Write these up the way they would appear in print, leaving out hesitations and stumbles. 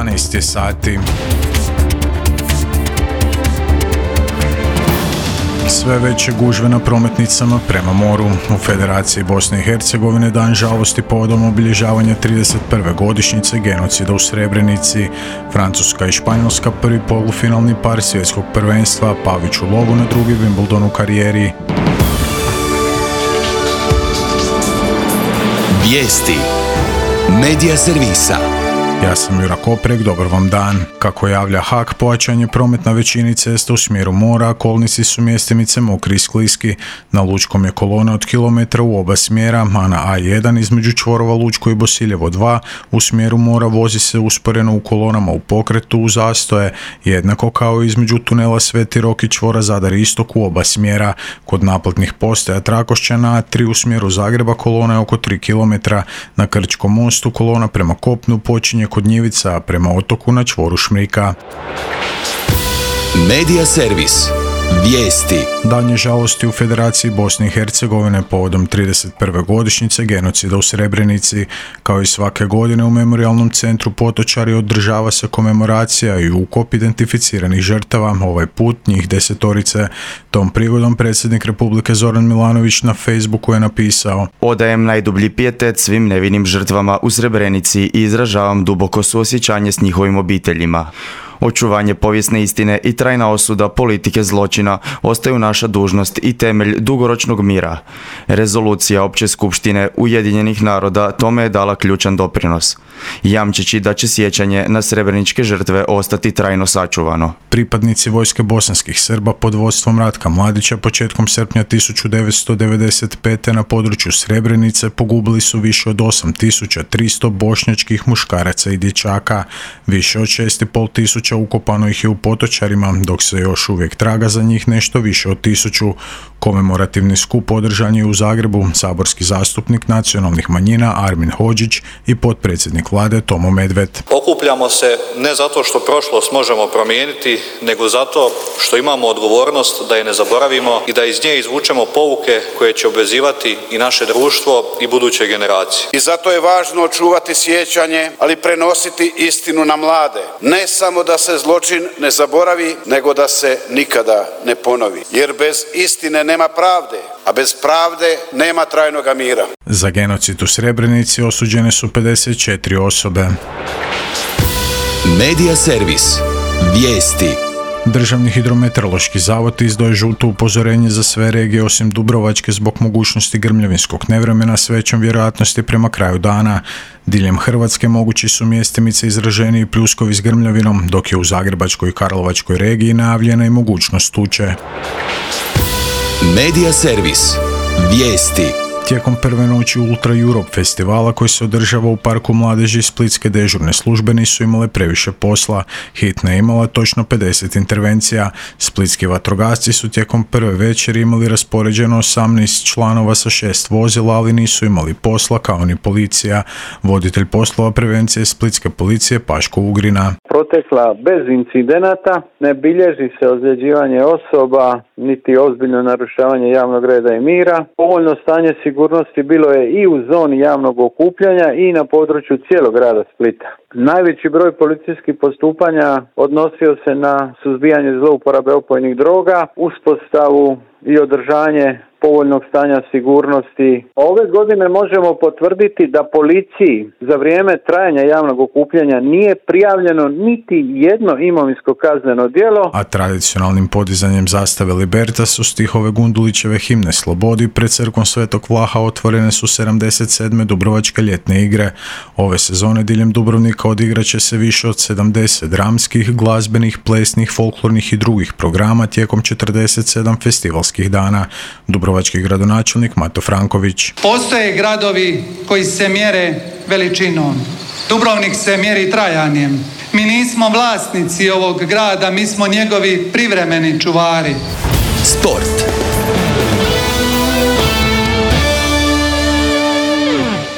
12 je sati. Sve veće gužve na prometnicama prema moru. U Federaciji Bosne i Hercegovine dan žalosti povodom obilježavanja 31. godišnjice genocida u Srebrenici. Francuska i Španjolska prvi polufinalni par svjetskog prvenstva, Pavić u lovu na drugi Wimbledon u karijeri. Vijesti Medija servisa. Ja sam Jura Koprek, dobar vam dan. Kako javlja HAK, pojačan je promet na većini cesta u smjeru mora, a kolnici su mjestimice mokri i skliski. Na Lučkom je kolona od kilometra u oba smjera, a na A1 između čvorova Lučko i Bosiljevo 2 u smjeru mora vozi se usporeno u kolonama u pokretu u zastoje, jednako kao između tunela Sveti Rok i čvora Zadar Istok u oba smjera. Kod naplatnih postaja Trakošća na A3 u smjeru Zagreba kolona je oko 3 km. Na Krčkom mostu kolona prema kopnu počinje kod Njivica, a prema otoku na čvoru Šmrika. Medija servis. Vijesti. Dan je žalosti u Federaciji Bosne i Hercegovine povodom 31. godišnjice genocida u Srebrenici. Kao i svake godine u Memorijalnom centru Potočari održava se komemoracija i ukop identificiranih žrtava, ovaj put njih 10. Tom prigodom predsjednik Republike Zoran Milanović na Facebooku je napisao: Odajem najdublji pijetet svim nevinim žrtvama u Srebrenici i izražavam duboko suosjećanje s njihovim obiteljima. Očuvanje povijesne istine i trajna osuda politike zločina ostaju naša dužnost i temelj dugoročnog mira. Rezolucija Opće skupštine Ujedinjenih naroda tome je dala ključan doprinos, jamčeći da će sjećanje na srebreničke žrtve ostati trajno sačuvano. Pripadnici vojske bosanskih Srba pod vodstvom Ratka Mladića početkom srpnja 1995. na području Srebrenice pogubili su više od 8300 bošnjačkih muškaraca i dječaka. Više od 6500 ukopano ih je u Potočarima, dok se još uvijek traga za njih nešto više od 1000. Komemorativni skup održan je u Zagrebu. Saborski zastupnik nacionalnih manjina Armin Hodžić i potpredsjednik vlade Tomo Medved. Okupljamo se ne zato što prošlost možemo promijeniti, nego zato što imamo odgovornost da je ne zaboravimo i da iz nje izvučemo pouke koje će obvezivati i naše društvo i buduće generacije. I zato je važno čuvati sjećanje, ali prenositi istinu na mlade. Ne samo da se zločin ne zaboravi, nego da se nikada ne ponovi. Jer bez istine nema pravde, a bez pravde nema trajnoga mira. Za genocid u Srebrenici osuđene su 54 osobe. Medija servis. Vijesti. Državni hidrometeorološki zavod izdao je žuto upozorenje za sve regije osim Dubrovačke zbog mogućnosti grmljavinskog nevremena s većom vjerojatnosti prema kraju dana. Diljem Hrvatske mogući su mjestimice izraženiji pljuskovi s grmljavinom, dok je u Zagrebačkoj i Karlovačkoj regiji najavljena i mogućnost tuče. Medija servis. Vijesti. Tijekom prve noći Ultra Europe festivala koji se održava u Parku mladeži, splitske dežurne službe nisu imale previše posla. Hitna je imala točno 50 intervencija. Splitski vatrogasci su tijekom prve večeri imali raspoređeno 18 članova sa 6 vozila, ali nisu imali posla kao ni policija. Voditelj poslova prevencije splitske policije Paško Ugrina. Protekla bez incidenata, ne bilježi se ozljeđivanje osoba, niti ozbiljno narušavanje javnog reda i mira. Povoljno stanje sigurnosti bilo je i u zoni javnog okupljanja i na području cijelog grada Splita. Najveći broj policijskih postupanja odnosio se na suzbijanje zlouporabe opojnih droga, uspostavu i održanje povoljnog stanja sigurnosti. Ove godine možemo potvrditi da policiji za vrijeme trajanja javnog okupljanja nije prijavljeno niti jedno imovinsko kazneno djelo. A tradicionalnim podizanjem zastave Libertas u stihove Gundulićeve himne Slobodi pred crkvom Svetog Vlaha otvorene su 77. Dubrovačke ljetne igre. Ove sezone diljem Dubrovnika odigrat će se više od 70 dramskih, glazbenih, plesnih, folklornih i drugih programa tijekom 47 festivalskih dana. Dubrovački gradonačelnik Mato Franković. Postoje gradovi koji se mjere veličinom. Dubrovnik se mjeri trajanjem. Mi nismo vlasnici ovog grada, mi smo njegovi privremeni čuvari. Sport.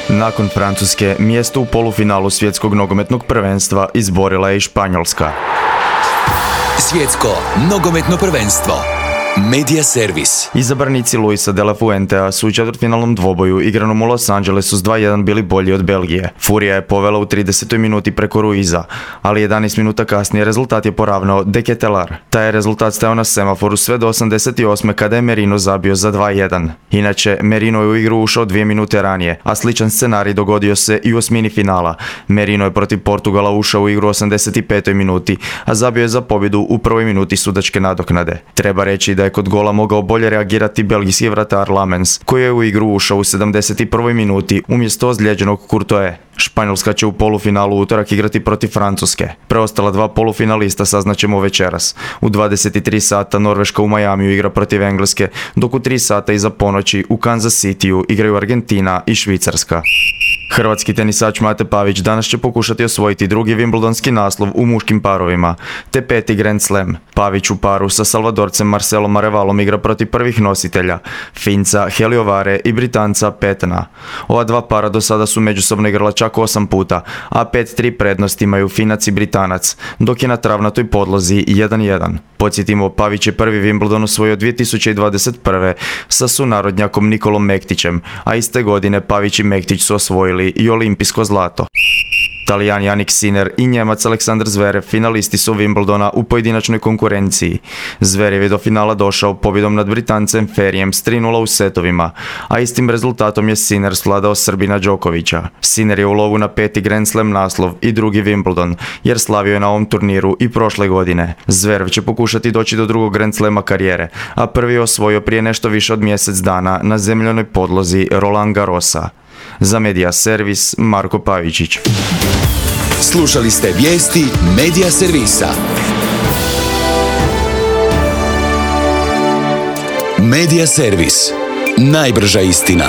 Nakon Francuske, mjesto u polufinalu svjetskog nogometnog prvenstva izborila je i Španjolska. Svjetsko nogometno prvenstvo. Media servis. Izabranici Luisa de la Fuentea su u četvrtfinalnom dvoboju igranom u Los Angelesu s 2-1 bili bolji od Belgije. Furija je povela u 30. minuti preko Ruiza, ali 11 minuta kasnije rezultat je poravnao De Ketelaere. Taj je rezultat stajao na semaforu sve do 88. kada je Merino zabio za 2-1. Inače, Merino je u igru ušao 2 minute ranije, a sličan scenarij dogodio se i u osmini finala. Merino je protiv Portugala ušao u igru u 85. minuti, a zabio je za pobjedu u prvoj minuti sudačke nadoknade. Treba reći da je kod gola mogao bolje reagirati belgijski vratar Lamens, koji je u igru ušao u 71. minuti umjesto ozlijeđenog Courtois. Španjolska će u polufinalu utorak igrati protiv Francuske. Preostala dva polufinalista saznaćemo večeras. U 23 sata Norveška u Majamiju igra protiv Engleske, dok u 3 sata iza ponoći u Kansas Cityu igraju Argentina i Švicarska. Hrvatski tenisač Mate Pavić danas će pokušati osvojiti drugi Wimbledonski naslov u muškim parovima, te 5. Grand Slam. Pavić u paru sa Salvadorcem Marcelom Arevalom igra protiv prvih nositelja, Finca Heliovare i Britanca Petna. Ova dva para do sada su međusobno igrala čak 8 puta, a 5-3 prednost imaju Finac i Britanac, dok je na travnatoj podlozi 1-1. Podsjetimo, Pavić je prvi Wimbledon osvojio 2021. sa sunarodnjakom Nikolom Mektićem, a iste godine Pavić i Mektić su osvojili i olimpijsko zlato. Talijan Jannik Sinner i Njemac Aleksandar Zverev finalisti su Wimbledona u pojedinačnoj konkurenciji. Zverev je do finala došao pobjedom nad Britancem Ferijem s 3-0 u setovima, a istim rezultatom je Sinner svladao Srbina Đokovića. Sinner je u lovu na 5. Grand Slam naslov i drugi Wimbledon, jer slavio je na ovom turniru i prošle godine. Zverev će pokušati doći do drugog Grand Slama karijere, a prvi je osvojio prije nešto više od mjesec dana na zemljanoj podlozi Roland Garrosa. Za Media servis Marko Pavičić. Slušali ste vijesti Media servisa. Media servis. Najbrža istina.